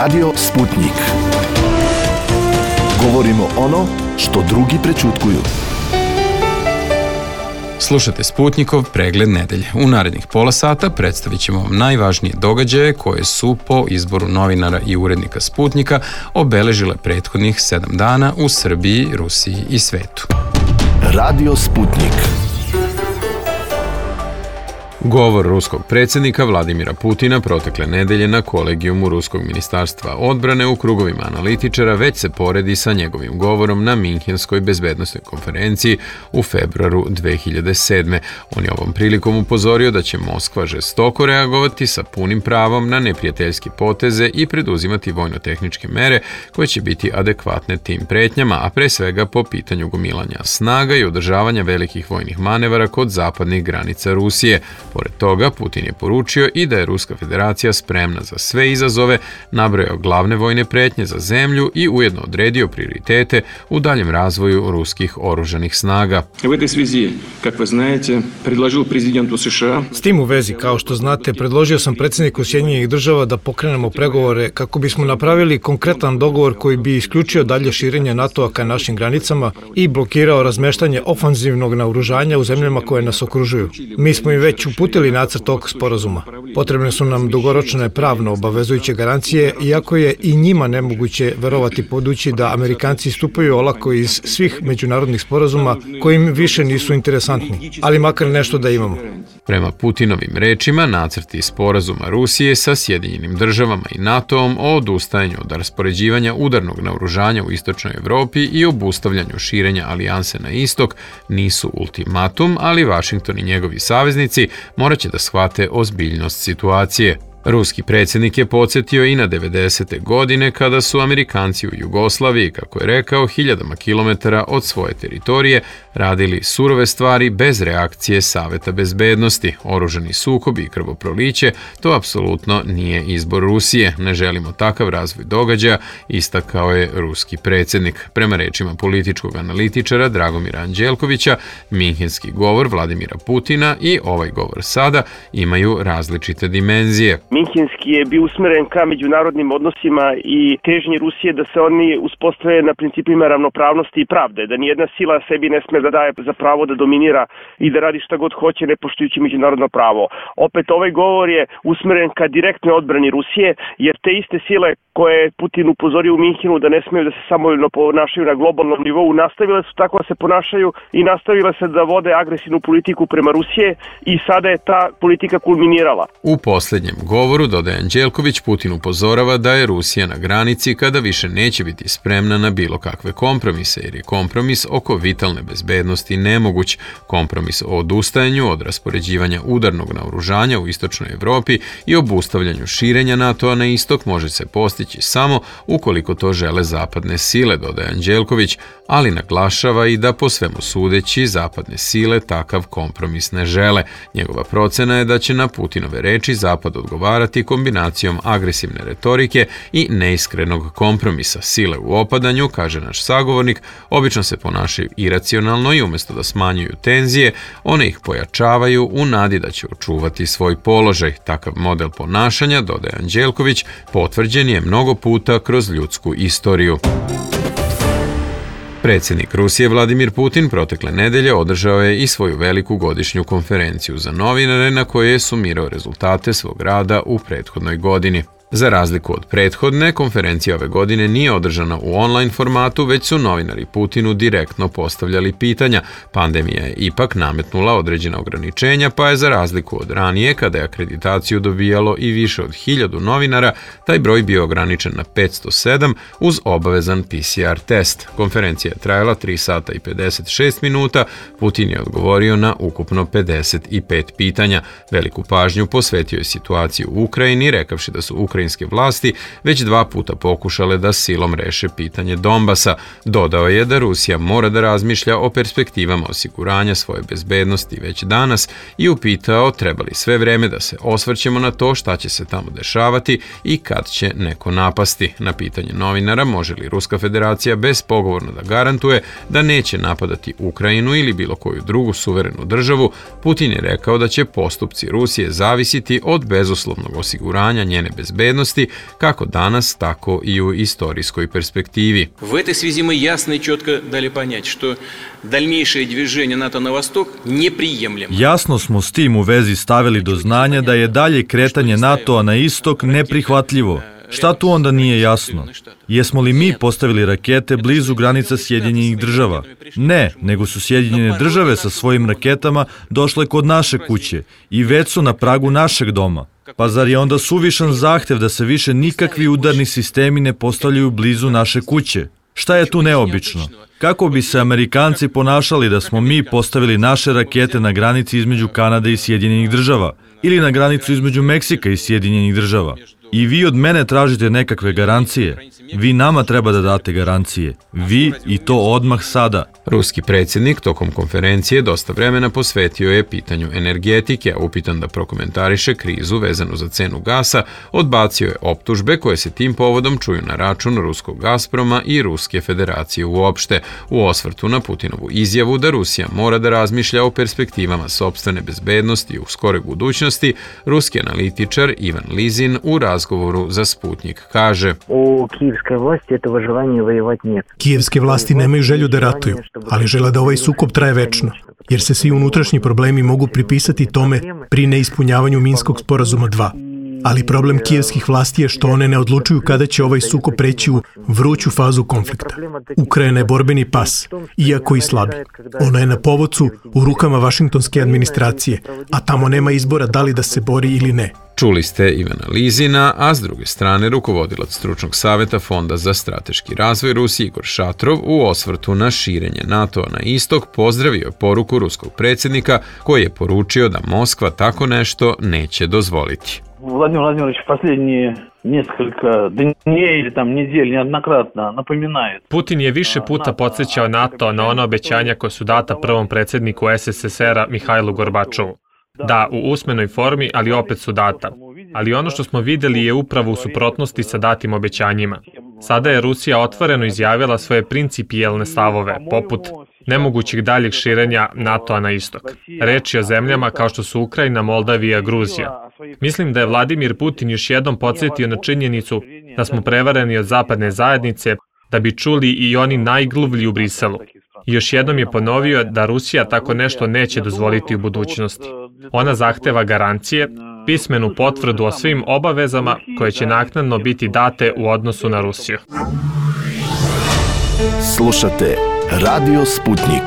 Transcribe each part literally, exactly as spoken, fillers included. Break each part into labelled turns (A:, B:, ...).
A: Radio Sputnik. Govorimo ono što drugi prećutkuju.
B: Slušate Sputnikov pregled nedelje. U narednih pola sata predstavit ćemo vam najvažnije događaje koje su po izboru novinara i urednika Sputnika obeležile prethodnih sedam dana u Srbiji, Rusiji i svetu.
A: Radio Sputnik.
B: Govor ruskog predsjednika Vladimira Putina protekle nedelje na kolegijumu Ruskog ministarstva odbrane u krugovima analitičara već se poredi sa njegovim govorom na Minhenskoj bezbednosnoj konferenciji u februaru dve hiljade sedme. On je ovom prilikom upozorio da će Moskva žestoko reagovati sa punim pravom na neprijateljske poteze i preduzimati vojno-tehničke mere koje će biti adekvatne tim pretnjama, a pre svega po pitanju gomilanja snaga i održavanja velikih vojnih manevara kod zapadnih granica Rusije. Pored toga, Putin je poručio i da je Ruska federacija spremna za sve izazove, nabrojao glavne vojne pretnje za zemlju i ujedno odredio prioritete u daljem razvoju ruskih oružanih snaga.
C: U этой связи, как вы знаете, предложил президенту США.
D: S tim u vezi, kao što znate, predložio sam predsjedniku Sjedinjenih država da pokrenemo pregovore kako bismo napravili konkretan dogovor koji bi isključio dalje širenje NATO-a ka našim granicama i blokirao razmeštanje ofanzivnog naoružanja u zemljama koje nas okružuju. Mi smo i već uputili nacrt tog sporazuma. Potrebne su nam dugoročne pravno obavezujuće garancije, iako je i njima nemoguće verovati podući da Amerikanci stupaju olako iz svih međunarodnih sporazuma koji im više nisu interesantni, ali makar nešto da imamo.
B: Prema Putinovim rečima, nacrti sporazuma Rusije sa Sjedinjenim državama i NATO-om o odustajanju od raspoređivanja udarnog naoružanja u istočnoj Evropi i obustavljanju širenja alijanse na istok nisu ultimatum, ali Vašington i njegovi saveznici morat će da shvate ozbiljnost situacije. Ruski predsjednik je podsjetio i na devedesete godine kada su Amerikanci u Jugoslaviji, kako je rekao, hiljadama kilometara od svoje teritorije radili surove stvari bez reakcije Saveta bezbednosti. Oružani sukobi i krvoproliće, to apsolutno nije izbor Rusije. Ne želimo takav razvoj događaja, istakao je ruski predsjednik. Prema rečima političkog analitičara Dragomira Anđelkovića, Minhenski govor Vladimira Putina i ovaj govor sada imaju različite dimenzije.
E: Minhenski je bio usmeren ka međunarodnim odnosima i težnji Rusije da se oni uspostave na principima ravnopravnosti i pravde, da nijedna sila sebi ne sme da daje za pravo da dominira i da radi šta god hoće ne poštujući međunarodno pravo. Opet ovaj govor je usmeren ka direktnoj odbrani Rusije, jer te iste sile koje je Putin upozorio u Minhenu da ne smeju da se samovoljno ponašaju na globalnom nivou, nastavile su tako da se ponašaju i nastavile se da vode agresivnu politiku prema Rusije i sada je ta politika kulminirala.
B: U posljednjem govoru, dodaje Anđelković, Putin upozorava da je Rusija na granici kada više neće biti spremna na bilo kakve kompromise, jer je kompromis oko vitalne bezbednosti nemoguć. Kompromis o odustajanju od raspoređivanja udarnog naoružanja u istočnoj Evropi i obustavljanju širenja NATO-a na istok može se postići samo ukoliko to žele zapadne sile, dodaje Anđelković, ali naglašava i da po svemu sudeći zapadne sile takav kompromis ne žele. Njegova procena je da će na Putinove reči Zapad odgovarati kombinacijom agresivne retorike i neiskrenog kompromisa. Sile u opadanju, kaže naš sagovornik, obično se ponašaju iracionalno i umjesto da smanjuju tenzije, one ih pojačavaju u nadi da će očuvati svoj položaj. Takav model ponašanja, dodaje Anđelković, potvrđen je mnogo puta kroz ljudsku istoriju. Predsjednik Rusije Vladimir Putin protekle nedelje održao je i svoju veliku godišnju konferenciju za novinare na kojoj je sumirao rezultate svog rada u prethodnoj godini. Za razliku od prethodne, konferencija ove godine nije održana u online formatu, već su novinari Putinu direktno postavljali pitanja. Pandemija je ipak nametnula određena ograničenja, pa je za razliku od ranije, kada je akreditaciju dobijalo i više od hiljadu novinara, taj broj bio ograničen na petsto sedam uz obavezan P C R test. Konferencija je trajala tri sata i pedeset šest minuta, Putin je odgovorio na ukupno pedeset pet pitanja. Veliku pažnju posvetio je situaciju u Ukrajini, rekavši da su Ukrajinski ukrajinske vlasti već dva puta pokušale da silom reše pitanje Donbasa. Dodao je da Rusija mora da razmišlja o perspektivama osiguranja svoje bezbednosti već danas i upitao treba li sve vreme da se osvrćemo na to šta će se tamo dešavati i kad će neko napasti. Na pitanje novinara može li Ruska federacija bezpogovorno da garantuje da neće napadati Ukrajinu ili bilo koju drugu suverenu državu, Putin je rekao da će postupci Rusije zavisiti od bezuslovnog osiguranja njene bezbednosti bezbednosti, kako danas, tako i u istorijskoj perspektivi.
F: В этой связи мы ясно и четко дали понять, что дальнейшее движение НАТО на восток неприемлемо.
G: Jasno smo s tim u vezi stavili do znanja da je dalje kretanje NATO-a na istok neprihvatljivo. Šta tu onda nije jasno? Jesmo li mi postavili rakete blizu granica Sjedinjenih država? Ne, nego su Sjedinjene države sa svojim raketama došle kod naše kuće i već su na pragu našeg doma. Pa zar je onda suvišan zahtev da se više nikakvi udarni sistemi ne postavljaju blizu naše kuće? Šta je tu neobično? Kako bi se Amerikanci ponašali da smo mi postavili naše rakete na granici između Kanade i Sjedinjenih država ili na granicu između Meksika i Sjedinjenih država? I vi od mene tražite nekakve garancije. Vi nama treba da date garancije. Vi i to odmah sada.
B: Ruski predsjednik tokom konferencije dosta vremena posvetio je pitanju energetike, a upitan da prokomentariše krizu vezanu za cenu gasa, odbacio je optužbe koje se tim povodom čuju na račun ruskog Gazproma i Ruske federacije uopšte, u osvrtu na Putinovu izjavu da Rusija mora da razmišlja o perspektivama sopstvene bezbednosti u skoroj budućnosti. Ruski analitičar Ivan Lizin u razgovoru za Sputnik kaže:
H: U kijevskoj vlasti этого желания воевать нет.
I: Kijevske vlasti nemaju želju da ratuju, ali žele da ovaj sukob traje večno, jer se svi unutrašnji problemi mogu pripisati tome pri neispunjavanju Minskog sporazuma dva. Ali problem kijevskih vlasti je što one ne odlučuju kada će ovaj sukob preći u vruću fazu konflikta. Ukrajina je borbeni pas, iako i slabi. Ona je na povodcu u rukama vašingtonske administracije, a tamo nema izbora da li da se bori ili ne.
B: Čuli ste Ivana Lizina, a s druge strane rukovodilac stručnog saveta Fonda za strateški razvoj Rusije Igor Šatrov u osvrtu na širenje NATO-a na istok pozdravio je poruku ruskog predsjednika koji je poručio da Moskva tako nešto neće dozvoliti.
J: Владимир Владимирович последние несколько дней или там недель неоднократно напоминает.
K: Putin je više puta podsjećao NATO na ona obećanja koja su data prvom predsjedniku S S S R-a Mihajlu Gorbačovu. Da, u usmenoj formi, ali opet su data. Ali ono što smo vidjeli je upravo u suprotnosti sa datim obećanjima. Sada je Rusija otvoreno izjavila svoje principijelne stavove, poput nemogućih daljeg širenja NATO-a na istok. Reč je o zemljama kao što su Ukrajina, Moldavija, Gruzija. Mislim da je Vladimir Putin još jednom podsjetio na činjenicu da smo prevareni od zapadne zajednice, da bi čuli i oni najgluvlji u Briselu. I još jednom je ponovio da Rusija tako nešto neće dozvoliti u budućnosti. Ona zahteva garancije, pismenu potvrdu o svim obavezama koje će naknadno biti date u odnosu na Rusiju.
A: Slušate Radio Sputnik.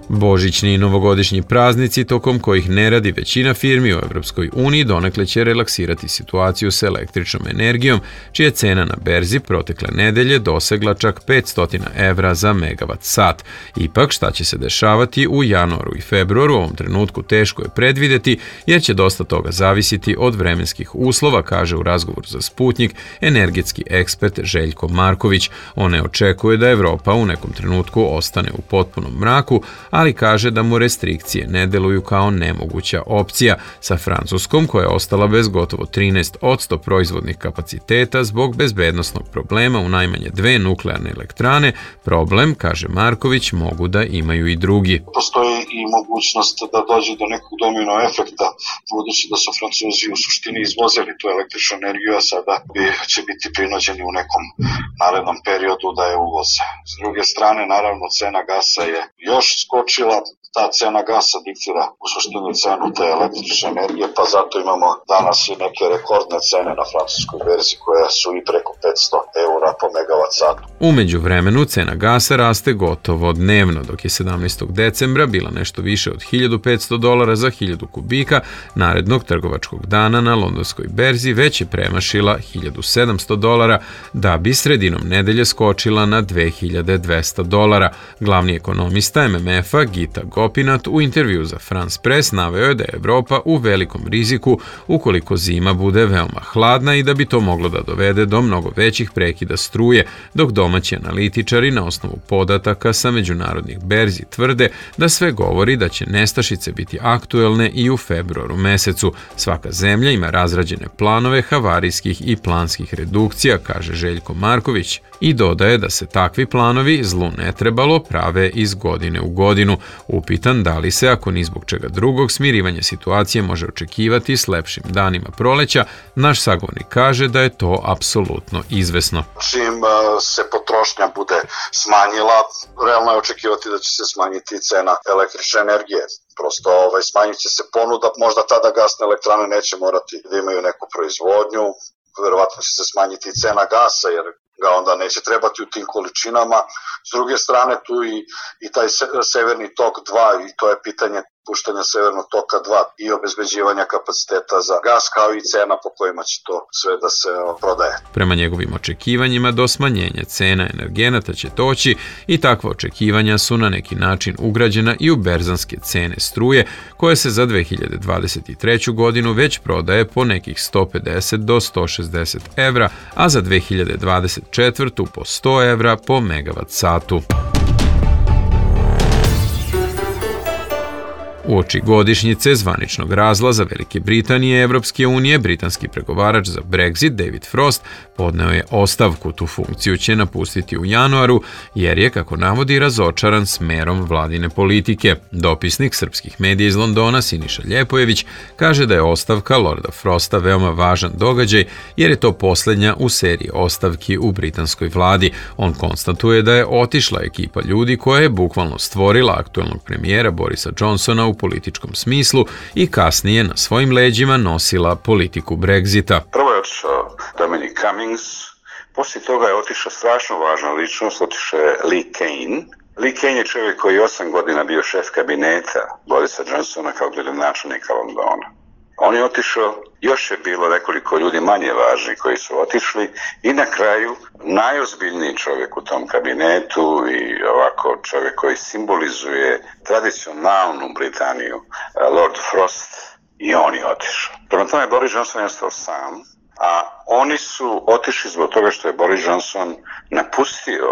B: Božićni i novogodišnji praznici, tokom kojih ne radi većina firmi u Evropskoj uniji, donekle će relaksirati situaciju s električnom energijom, čija cena na berzi protekle nedelje dosegla čak petsto evra za megavat sat. Ipak, šta će se dešavati u januaru i februaru, u ovom trenutku teško je predvideti, jer će dosta toga zavisiti od vremenskih uslova, kaže u razgovoru za Sputnik energetski ekspert Željko Marković. On ne očekuje da Evropa u nekom trenutku ostane u potpunom mraku, ali kaže da mu restrikcije ne deluju kao nemoguća opcija, sa Francuskom koja je ostala bez gotovo trinaest posto proizvodnih kapaciteta zbog bezbednosnog problema u najmanje dve nuklearne elektrane. Problem, kaže Marković, mogu da imaju i drugi.
L: Postoji i mogućnost da dođe do nekog domino efekta, budući da su Francuzi u suštini izvozili tu električnu energiju, a sada bi, će biti prinuđeni u nekom narednom periodu da je uvoze. S druge strane, naravno, cena gasa je još skočila, ta cena gasa diktira u suštini cenu te električne energije, pa zato imamo danas i neke rekordne cene na francuskoj berzi koje su i preko petsto eura po megavat satu.
B: U međuvremenu cena gasa raste gotovo dnevno, dok je sedamnaestog decembra bila nešto više od hiljadu petsto dolara za hiljadu kubika, narednog trgovačkog dana na londonskoj berzi već je premašila hiljadu sedamsto dolara, da bi sredinom nedelje skočila na dve hiljade dvesta dolara. Glavni ekonomista M M F-a Gita Gopinath u intervju za France Press naveo je da je Evropa u velikom riziku ukoliko zima bude veoma hladna i da bi to moglo da dovede do mnogo većih prekida struje, dok domaći analitičari na osnovu podataka sa međunarodnih berzi tvrde da sve govori da će nestašice biti aktuelne i u februaru mesecu. Svaka zemlja ima razrađene planove havarijskih i planskih redukcija, kaže Željko Marković, i dodaje da se takvi planovi, zlu ne trebalo, prave iz godine u godinu. U Upitan da li se, ako ni zbog čega drugog, smirivanje situacije može očekivati s lepšim danima proleća, naš sagovornik kaže da je to apsolutno izvesno.
L: Čim se potrošnja bude smanjila, realno je očekivati da će se smanjiti cena električne energije. Prosto ovaj, smanjit će se ponuda, možda tada gasne elektrane neće morati da imaju neku proizvodnju, verovatno će se smanjiti i cena gasa jer ga onda neće trebati u tim količinama. S druge strane tu i, i taj severni tok dva i to je pitanje puštanja severnog toka dva i obezbeđivanja kapaciteta za gas kao i cena po kojima će to sve da se prodaje.
B: Prema njegovim očekivanjima do smanjenja cena energenata će doći i takva očekivanja su na neki način ugrađena i u berzanske cene struje koje se za dve hiljade dvadeset treću godinu već prodaje po nekih sto pedeset do sto šezdeset evra, a za dve hiljade dvadeset četvrtu po sto evra po megavat satu. Uoči godišnjice zvaničnog razlaza Velike Britanije i Evropske unije, britanski pregovarač za Brexit David Frost podneo je ostavku. Tu funkciju će napustiti u januaru, jer je, kako navodi, razočaran smerom vladine politike. Dopisnik srpskih medija iz Londona Siniša Ljepojević kaže da je ostavka Lorda Frosta veoma važan događaj, jer je to posljednja u seriji ostavki u britanskoj vladi. On konstatuje da je otišla ekipa ljudi koja je bukvalno stvorila aktuelnog premijera Borisa Johnsona u političkom smislu i kasnije na svojim leđima nosila politiku Brexita.
M: Prvo je otišao Dominic Cummings, poslije toga je otišao strašno važna ličnost, otišao je Lee Cain. Lee Cain je čovjek koji je osam godina bio šef kabineta Borisa Johnsona kao gradonačelnika Londona. On je otišao, još je bilo nekoliko ljudi manje važni koji su otišli i na kraju najozbiljniji čovjek u tom kabinetu i ovako čovjek koji simbolizuje tradicionalnu Britaniju, Lord Frost, i on je otišao. Prema tome Boris Johnson je ostao sam, a oni su otišli zbog toga što je Boris Johnson napustio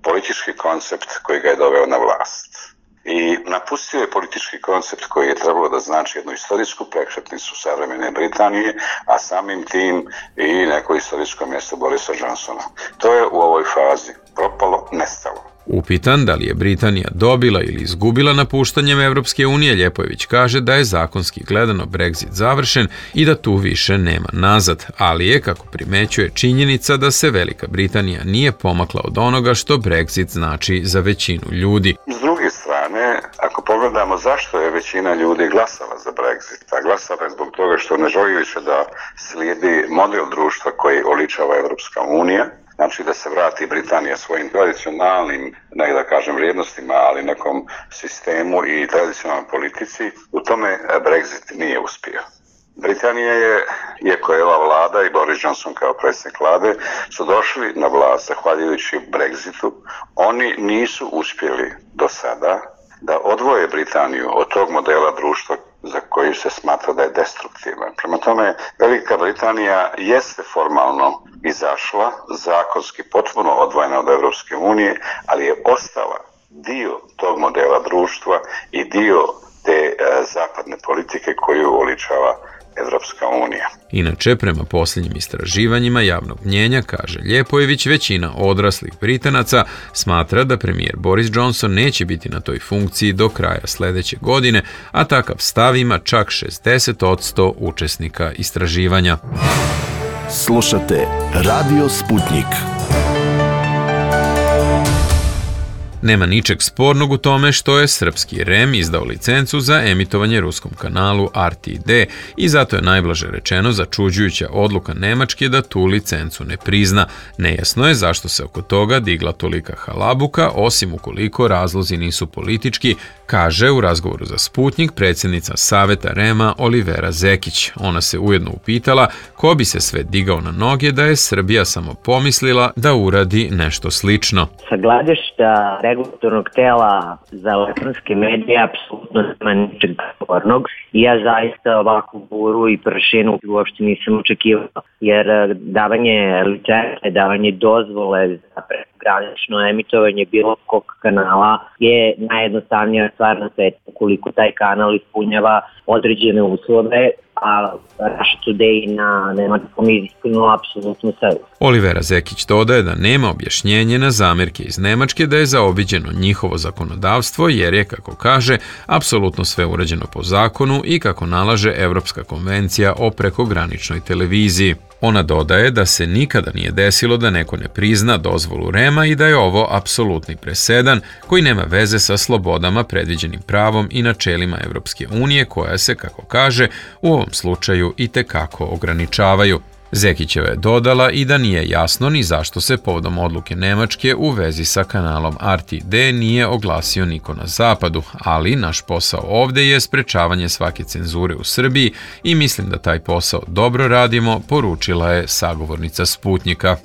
M: politički koncept koji ga je doveo na vlast. I napustio je politički koncept koji je trebalo da znači jednu istorijsku prekretnicu savremene Britanije, a samim tim i neko istorijsko mjesto Borisa Johnsona. To je u ovoj fazi propalo, nestalo.
B: Upitan da li je Britanija dobila ili izgubila napuštanjem Evropske unije, Ljepojević kaže da je zakonski gledano Brexit završen i da tu više nema nazad, ali je, kako primećuje, činjenica da se Velika Britanija nije pomakla od onoga što Brexit znači za većinu ljudi.
M: S druge strane, ako pogledamo zašto je većina ljudi glasala za Brexit, a glasala je zbog toga što ne želi više da slijedi model društva koji oličava Evropska unija, znači da se vrati Britanija svojim tradicionalnim, ne da kažem vrijednostima, ali nekom sistemu i tradicionalnoj politici, u tome Brexit nije uspio. Britanija je, iako je ova vlada i Boris Johnson kao predsjednik vlade, su došli na vlast zahvaljujući Brexitu. Oni nisu uspjeli do sada da odvoje Britaniju od tog modela društva za koji se smatra da je destruktivan. Prema tome, Velika Britanija jeste formalno izašla, zakonski potpuno odvojena od Evropske unije, ali je ostala dio tog modela društva i dio te e, zapadne politike koju oličava Evropska unija.
B: Inače, prema posljednjim istraživanjima javnog mnjenja, kaže Ljepojević, većina odraslih Britanaca smatra da premijer Boris Johnson neće biti na toj funkciji do kraja sljedeće godine, a takav stav ima čak šezdeset posto učesnika istraživanja.
A: Slušate Radio Sputnik.
B: Nema ničeg spornog u tome što je srpski R E M izdao licencu za emitovanje ruskom kanalu R T D i zato je najblaže rečeno začuđujuća odluka Nemačke da tu licencu ne prizna. Nejasno je zašto se oko toga digla tolika halabuka, osim ukoliko razlozi nisu politički, kaže u razgovoru za Sputnik predsjednica Saveta R E M-a Olivera Zekić. Ona se ujedno upitala ko bi se sve digao na noge da je Srbija samo pomislila da uradi nešto slično.
H: Sa gledišta regulatornog tela za elektronske medije apsolutno nema ničeg spornog i ja zaista ovakvu buru i prašinu uopšte nisam očekivala, jer davanje licence, davanje dozvole za prekogranično emitovanje bilo kog kanala je najjednostavnija stvar na svetu. Ukoliko taj kanal ispunjava određene uslove, a Russia Today na nemačkom jeziku apsolutno sve.
B: Olivera Zekić dodaje da nema objašnjenje na zamerke iz Nemačke da je zaobiđeno njihovo zakonodavstvo jer je, kako kaže, apsolutno sve urađeno po zakonu i kako nalaže Evropska konvencija o prekograničnoj televiziji. Ona dodaje da se nikada nije desilo da neko ne prizna dozvolu REM-a i da je ovo apsolutni presedan koji nema veze sa slobodama predviđenim pravom i načelima Evropske unije koja se, kako kaže, u ovom slučaju i tekako ograničavaju. Zekićeva je dodala i da nije jasno ni zašto se povodom odluke Nemačke u vezi sa kanalom R T D nije oglasio niko na zapadu, ali naš posao ovde je sprečavanje svake cenzure u Srbiji i mislim da taj posao dobro radimo, poručila je sagovornica Sputnjika.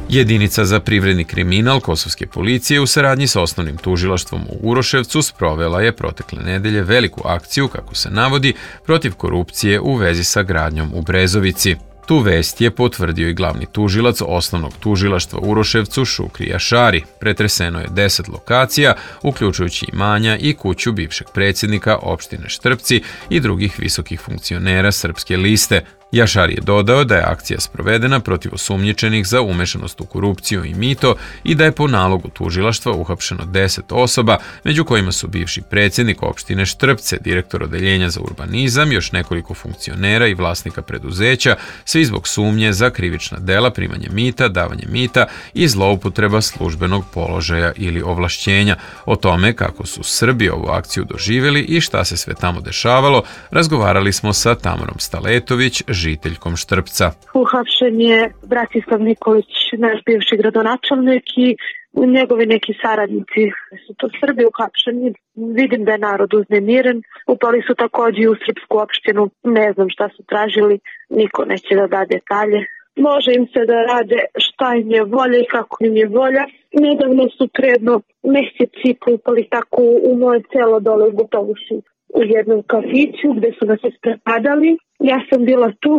B: Jedinica za privredni kriminal kosovske policije u saradnji sa osnovnim tužilaštvom u Uroševcu sprovela je protekle nedelje veliku akciju, kako se navodi, protiv korupcije u vezi sa gradnjom u Brezovici. Tu vest je potvrdio i glavni tužilac osnovnog tužilaštva u Uroševcu Šukri Jašari. Pretreseno je deset lokacija, uključujući imanja i kuću bivšeg predsjednika opštine Štrpci i drugih visokih funkcionera Srpske liste. Jašar je dodao da je akcija sprovedena protiv osumnjičenih za umešanost u korupciju i mito i da je po nalogu tužilaštva uhapšeno deset osoba, među kojima su bivši predsjednik opštine Štrpce, direktor odeljenja za urbanizam, još nekoliko funkcionera i vlasnika preduzeća, svi zbog sumnje za krivična dela, primanje mita, davanje mita i zloupotreba službenog položaja ili ovlašćenja. O tome kako su Srbi ovu akciju doživjeli i šta se sve tamo dešavalo, razgovarali smo sa Tamarom Staletović, žiteljkom Štrpca.
N: Uhapšen je Bratislav Nikolić, naš bivši gradonačelnik i njegovi neki saradnici. Su to Srbi uhapšeni. Vidim da je narod uznemiren. Upali su također u srpsku opštinu. Ne znam šta su tražili. Niko neće da da detalje. Može im se da rade šta im je volja i kako im je volja. Nedavno su predno meseci upali tako u moje selo dole u Butovuši, u jednom kafiću gde su nas isprepadali. Ja sam bila tu,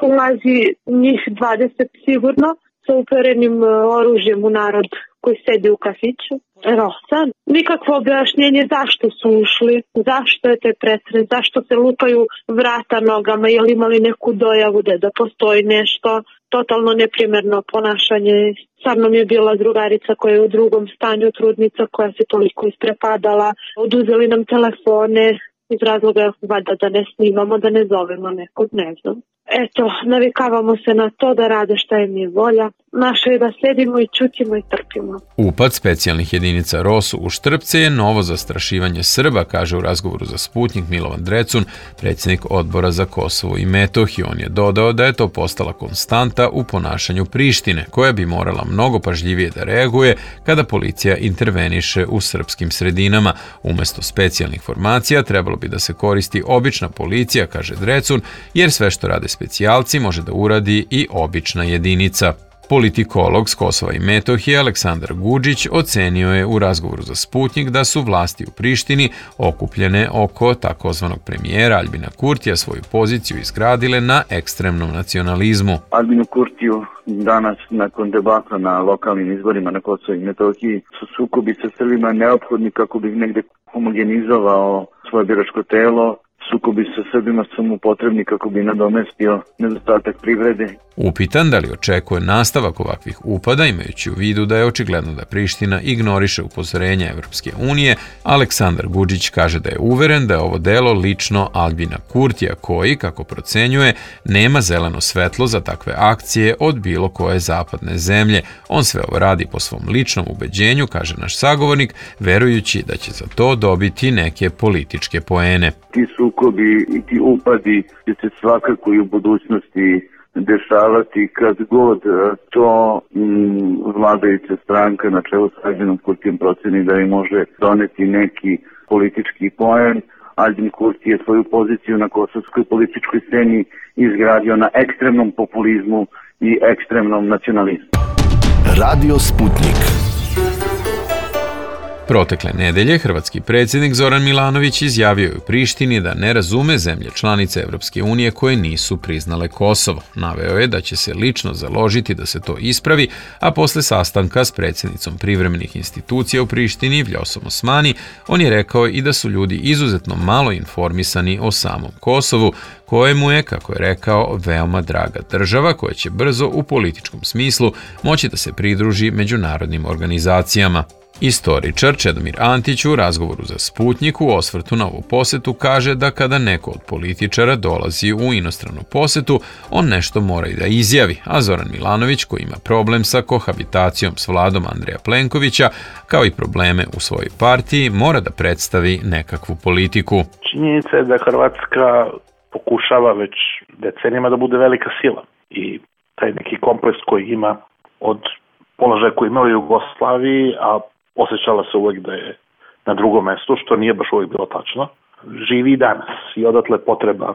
N: ulazi njih dvadeset sigurno, sa uperenim oružjem u narod koji sedi u kafiću. Rosan. Nikakvo objašnjenje zašto su ušli, zašto je te pretres, zašto se lupaju vrata nogama, jel imali neku dojavu da, da postoji nešto. Totalno neprimerno ponašanje. Sa mnom je bila drugarica koja je u drugom stanju, trudnica koja se toliko isprepadala. Oduzeli nam telefone iz razloga valjda da ne snimamo, da ne zovemo nekog, ne znam. Eto, navikavamo se na to da rade šta im je volja. Naše je da sedimo i čutimo i trpimo.
B: Upad specijalnih jedinica ROSU u Štrpce je novo zastrašivanje Srba, kaže u razgovoru za Sputnjik Milovan Drecun, predsjednik odbora za Kosovo i Metohiju. On je dodao da je to postala konstanta u ponašanju Prištine, koja bi morala mnogo pažljivije da reaguje kada policija interveniše u srpskim sredinama. Umesto specijalnih formacija trebalo bi da se koristi obična policija, kaže Drecun, jer sve što rade specijalci može da uradi i obična jedinica. Politikolog s Kosova i Metohije Aleksandar Gudžić ocenio je u razgovoru za Sputnjik da su vlasti u Prištini okupljene oko takozvanog premijera Aljbina Kurtija svoju poziciju izgradile na ekstremnom nacionalizmu.
J: Aljbinu Kurtiju danas nakon debakla na lokalnim izborima na Kosovo i Metohiji su sukobi sa Srbima neophodni kako bi negde homogenizovao svoje biračko telo. Sukobi sa Srbima su mu potrebni kako bi nadomestio nedostatak privrede.
B: Upitan da li očekuje nastavak ovakvih upada, imajući u vidu da je očigledno da Priština ignoriše upozorenja Evropske unije, Aleksandar Gudžić kaže da je uveren da je ovo delo lično Aljbina Kurtija koji, kako procenjuje, nema zeleno svetlo za takve akcije od bilo koje zapadne zemlje. On sve ovo radi po svom ličnom ubeđenju, kaže naš sagovornik, verujući da će za to dobiti neke političke poene.
J: Ti sukobi i ti upadi će se svakako i u budućnosti dešavati kad god to mm, vladajuća stranka na čelu s Aljbinom Kurtijem proceni da im može doneti neki politički poen. Aljbin Kurti je svoju poziciju na kosovskoj političkoj sceni izgradio na ekstremnom populizmu i ekstremnom nacionalizmu.
A: Radio Sputnik.
B: Protekle nedelje hrvatski predsjednik Zoran Milanović izjavio je u Prištini da ne razume zemlje članice Evropske unije koje nisu priznale Kosovo. Naveo je da će se lično založiti da se to ispravi, a posle sastanka s predsjednicom privremenih institucija u Prištini Vljosom Osmani, on je rekao i da su ljudi izuzetno malo informisani o samom Kosovu, kojemu je, kako je rekao, veoma draga država koja će brzo u političkom smislu moći da se pridruži međunarodnim organizacijama. Istoričar Čedomir Antić u razgovoru za Sputnjik u osvrtu na ovu posetu kaže da kada neko od političara dolazi u inostranu posetu, on nešto mora i da izjavi, a Zoran Milanović, koji ima problem sa kohabitacijom s vladom Andreja Plenkovića, kao i probleme u svojoj partiji, mora da predstavi nekakvu politiku.
O: Činjenica je da Hrvatska pokušava već decenijama da bude velika sila i taj neki kompleks koji ima od položaja koji imao u Jugoslaviji, a osjećala se uvek da je na drugom mestu, što nije baš uvek bilo tačno, živi i danas. I odatle potreba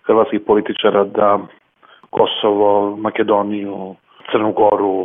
O: hrvatskih političara da Kosovo, Makedoniju, Crnu Goru,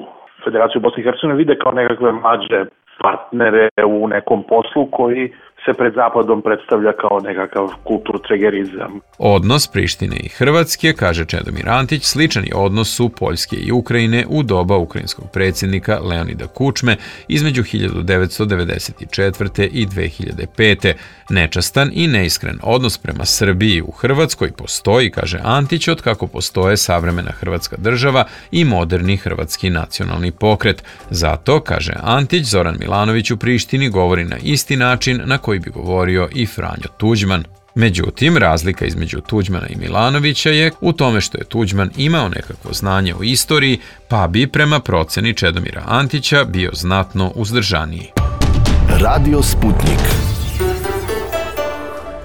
O: Federaciju Bosne i Hercegovine vide kao nekakve mlađe partnere u nekom poslu koji se pred Zapadom predstavlja kao nekakav kulturtregerizam.
B: Odnos Prištine i Hrvatske, kaže Čedomir Antić, sličan je odnosu Poljske i Ukrajine u doba ukrajinskog predsjednika Leonida Kučme između hiljadu devetsto devedeset četvrte. i dve hiljade pete. Nečastan i neiskren odnos prema Srbiji u Hrvatskoj postoji, kaže Antić, od kako postoje savremena Hrvatska država i moderni hrvatski nacionalni pokret. Zato, kaže Antić, Zoran Milanović u Prištini govori na isti način na koji bi govorio i Franjo Tuđman. Međutim, razlika između Tuđmana i Milanovića je u tome što je Tuđman imao nekakvo znanje o istoriji, pa bi prema proceni Čedomira Antića bio znatno uzdržaniji.
A: Radio Sputnik.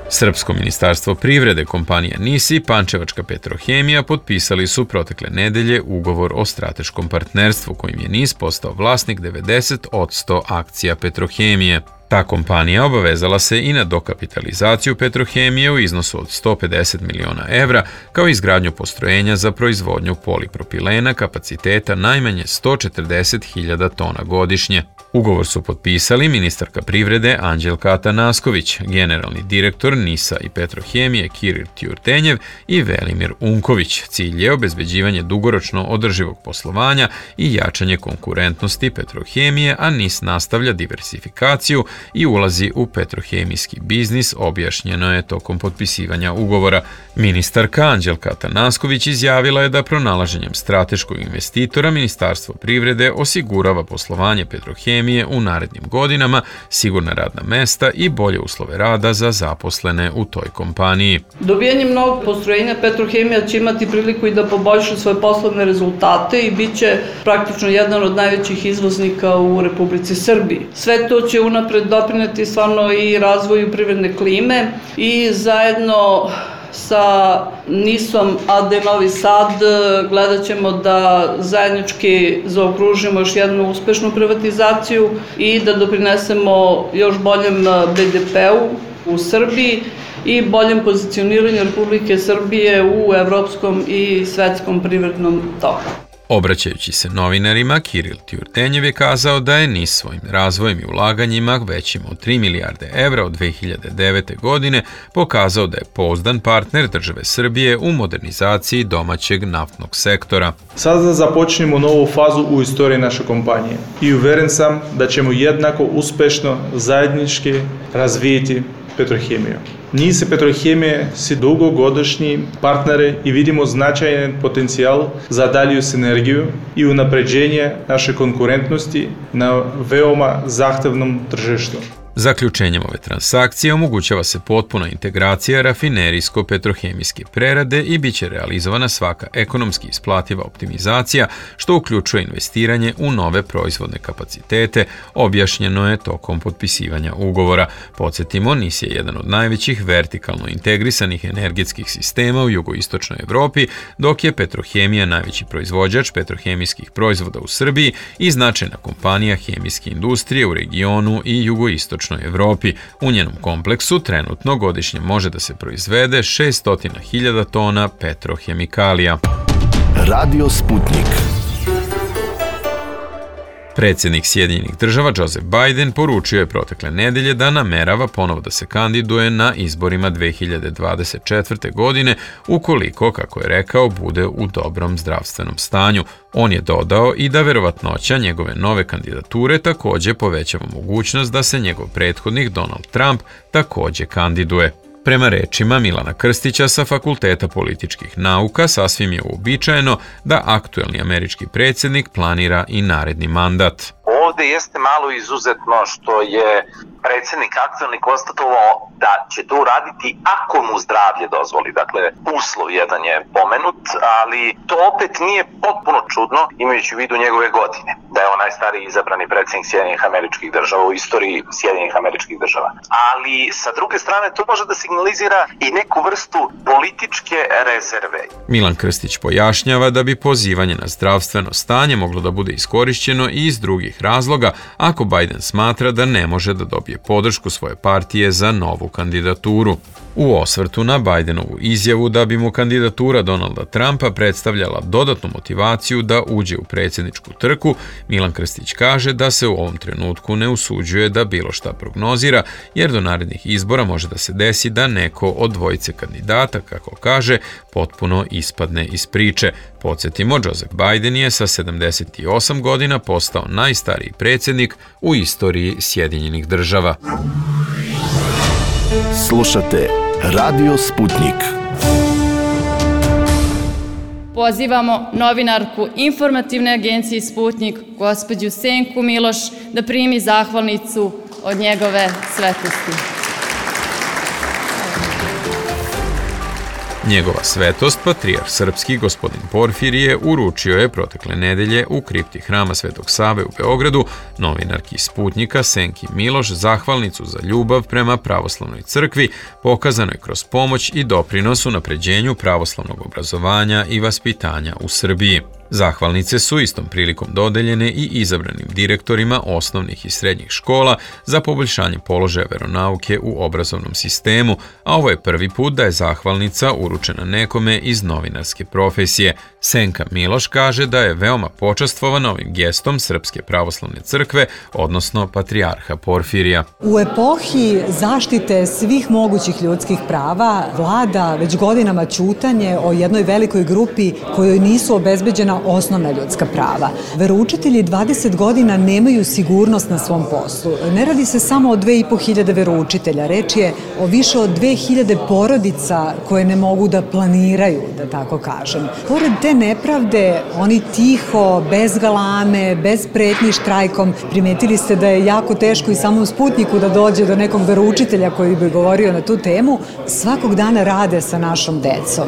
B: Srpsko ministarstvo privrede, kompanija NIS i Pančevačka Petrohemija potpisali su protekle nedelje ugovor o strateškom partnerstvu kojim je NIS postao vlasnik devedeset posto akcija Petrohemije. Ta kompanija obavezala se i na dokapitalizaciju Petrohemije u iznosu od sto pedeset miliona evra, kao i izgradnju postrojenja za proizvodnju polipropilena kapaciteta najmanje sto četrdeset hiljada tona godišnje. Ugovor su potpisali ministarka privrede Anđelka Atanasković, generalni direktor NIS-a i Petrohemije Kiril Tjurtenjev i Velimir Unković. Cilj je obezbeđivanje dugoročno održivog poslovanja i jačanje konkurentnosti Petrohemije, a NIS nastavlja diversifikaciju i ulazi u petrohemijski biznis, objašnjeno je tokom potpisivanja ugovora. Ministarka Anđelka Atanasković izjavila je da pronalaženjem strateškog investitora Ministarstvo privrede osigurava poslovanje Petrohemije u narednim godinama, sigurna radna mesta i bolje uslove rada za zaposlene u toj kompaniji.
P: Dobijanjem novog postrojenja Petrohemija će imati priliku i da poboljša svoje poslovne rezultate i bit će praktično jedan od najvećih izvoznika u Republici Srbiji. Sve to će unapred doprineti stvarno i razvoju privredne klime i zajedno sa NIS-om A D Novi Sad gledat ćemo da zajednički zaokružimo još jednu uspešnu privatizaciju i da doprinesemo još boljem B D P-u u Srbiji i boljem pozicioniranju Republike Srbije u evropskom i svetskom privrednom toku.
B: Obraćajući se novinarima, Kiril Tjurtenjev je kazao da je NIS svojim razvojem i ulaganjima većim od tri milijarde evra od dve hiljade devete. godine pokazao da je pouzdan partner države Srbije u modernizaciji domaćeg naftnog sektora.
Q: Sada započnemo novu fazu u istoriji naše kompanije i uveren sam da ćemo jednako uspešno zajednički razvijeti Petrohemiju. NIS i Petrohemije su dugogodišnji partneri i vidimo značajan potencijal za dalju sinergiju i unapređenje naše konkurentnosti na veoma zahtevnom tržištu.
B: Zaključenjem ove transakcije omogućava se potpuna integracija rafinerijsko-petrohemijske prerade i bit će realizovana svaka ekonomski isplativa optimizacija, što uključuje investiranje u nove proizvodne kapacitete, objašnjeno je tokom potpisivanja ugovora. Podsjetimo, NIS je jedan od najvećih vertikalno integrisanih energetskih sistema u jugoistočnoj Evropi, dok je Petrohemija najveći proizvođač petrohemijskih proizvoda u Srbiji i značajna kompanija hemijske industrije u regionu i jugoistočnoj Evropi. U njenom kompleksu trenutno godišnje može da se proizvede šesto hiljada tona petrohemikalija.
A: Radio Sputnik.
B: Predsjednik Sjedinjenih država Joseph Biden poručio je protekle nedelje da namerava ponovo da se kandiduje na izborima dve hiljade dvadeset četvrte. godine ukoliko, kako je rekao, bude u dobrom zdravstvenom stanju. On je dodao i da verovatnoća njegove nove kandidature takođe povećava mogućnost da se njegov prethodnik Donald Trump takođe kandiduje. Prema rečima Milana Krstića sa Fakulteta političkih nauka, sasvim je uobičajeno da aktuelni američki predsjednik planira i naredni mandat.
R: Ovde jeste malo izuzetno što je predsjednik aktuelni konstatovao da će to uraditi ako mu zdravlje dozvoli. Dakle, uslov jedan je pomenut, ali to opet nije potpuno čudno imajući u vidu njegove godine. Da je on najstariji izabrani predsjednik Sjedinjenih američkih država u istoriji Sjedinjenih američkih država. Ali sa druge strane to može da signalizira i neku vrstu političke rezerve.
B: Milan Krstić pojašnjava da bi pozivanje na zdravstveno stanje moglo da bude iskorišćeno i iz drugih razloga ako Biden smatra da ne može da dobije podršku svoje partije za novu kandidaturu. U osvrtu na Bidenovu izjavu da bi mu kandidatura Donalda Trumpa predstavljala dodatnu motivaciju da uđe u predsjedničku trku, Milan Krstić kaže da se u ovom trenutku ne usuđuje da bilo šta prognozira, jer do narednih izbora može da se desi da neko od dvojice kandidata, kako kaže, potpuno ispadne iz priče. Podsjetimo, Joseph Biden je sa sedamdeset osam godina postao najstariji predsjednik u istoriji Sjedinjenih država.
A: Slušate Radio Sputnik.
S: Pozivamo novinarku informativne agencije Sputnik, gospođu Senku Miloš, da primi zahvalnicu od njegove svetosti.
B: Njegova svetost, patrijarh srpski gospodin Porfirije, uručio je protekle nedelje u kripti Hrama Svetog Save u Beogradu novinarki Sputnika Senki Miloš zahvalnicu za ljubav prema pravoslavnoj crkvi, pokazanoj kroz pomoć i doprinos unapređenju pravoslavnog obrazovanja i vaspitanja u Srbiji. Zahvalnice su istom prilikom dodeljene i izabranim direktorima osnovnih i srednjih škola za poboljšanje položaja veronauke u obrazovnom sistemu, a ovo je prvi put da je zahvalnica uručena nekome iz novinarske profesije. Senka Miloš kaže da je veoma počastvovana ovim gestom Srpske pravoslavne crkve, odnosno patrijarha Porfirija.
T: U epohi zaštite svih mogućih ljudskih prava vlada već godinama ćutanje o jednoj velikoj grupi kojoj nisu obezbeđena osnovna ljudska prava. Veroučitelji dvadeset godina nemaju sigurnost na svom poslu. Ne radi se samo o dve i po hiljade veroučitelja, reč je o više od dve hiljade porodica koje ne mogu da planiraju, da tako kažem. Pored te nepravde, oni tiho, bez galame, bez pretnji štrajkom, primetili ste da je jako teško i samom Sputniku da dođe do nekog veroučitelja koji bi govorio na tu temu, svakog dana rade sa našom decom.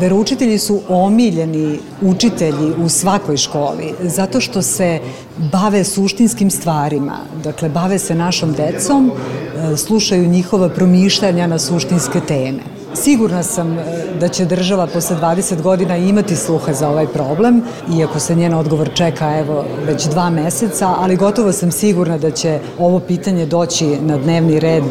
T: Veroučitelji su omiljeni učitelji u svakoj školi, zato što se bave suštinskim stvarima, dakle bave se našom decom, slušaju njihova promišljanja na suštinske teme. Sigurna sam da će država posle dvadeset godina imati sluha za ovaj problem, iako se njen odgovor čeka evo već dva meseca, ali gotovo sam sigurna da će ovo pitanje doći na dnevni red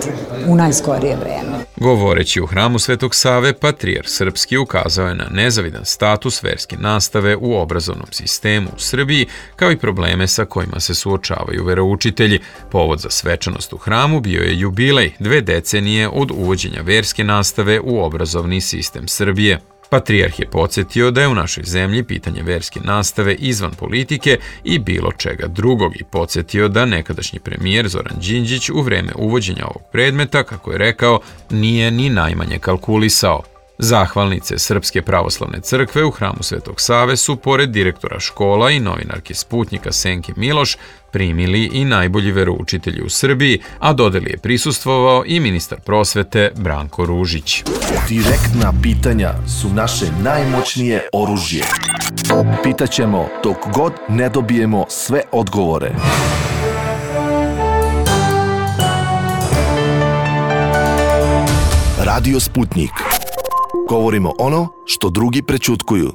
T: u najskorije vreme.
B: Govoreći u Hramu Svetog Save, patrijarh srpski ukazao je na nezavidan status verske nastave u obrazovnom sistemu u Srbiji, kao i probleme sa kojima se suočavaju veroučitelji. Povod za svečanost u hramu bio je jubilej, dve decenije od uvođenja verske nastave u obrazovni sistem Srbije. Patrijarh je podsjetio da je u našoj zemlji pitanje verske nastave izvan politike i bilo čega drugog i podsjetio da nekadašnji premijer Zoran Đinđić u vreme uvođenja ovog predmeta, kako je rekao, nije ni najmanje kalkulisao. Zahvalnice Srpske pravoslavne crkve u Hramu Svetog Save su, pored direktora škola i novinarke Sputnika Senke Miloš, primili i najbolji veroučitelji u Srbiji, a dodeli je prisustvovao i ministar prosvete Branko Ružić.
A: Direktna pitanja su naše najmoćnije oružje. Pitaćemo dok god ne dobijemo sve odgovore. Radio Sputnik. Govorimo ono što drugi prećutkuju.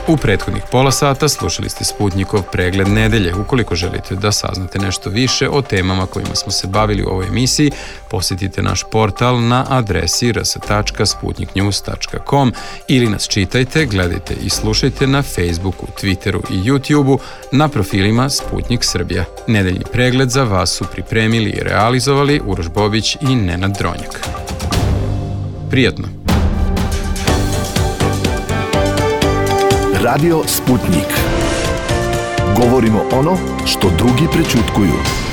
B: U prethodnih pola sata slušali ste Sputnjikov pregled nedelje. Ukoliko želite da saznate nešto više o temama kojima smo se bavili u ovoj emisiji, posjetite naš portal na adresi r s tačka sputnik news tačka com ili nas čitajte, gledajte i slušajte na Facebooku, Twitteru i YouTubeu na profilima Sputnik Srbija. Nedeljni pregled za vas su pripremili i realizovali Uroš Bobić i Nenad Dronjak. Prijatno!
A: Radio Sputnik. Govorimo ono što drugi prećutkuju.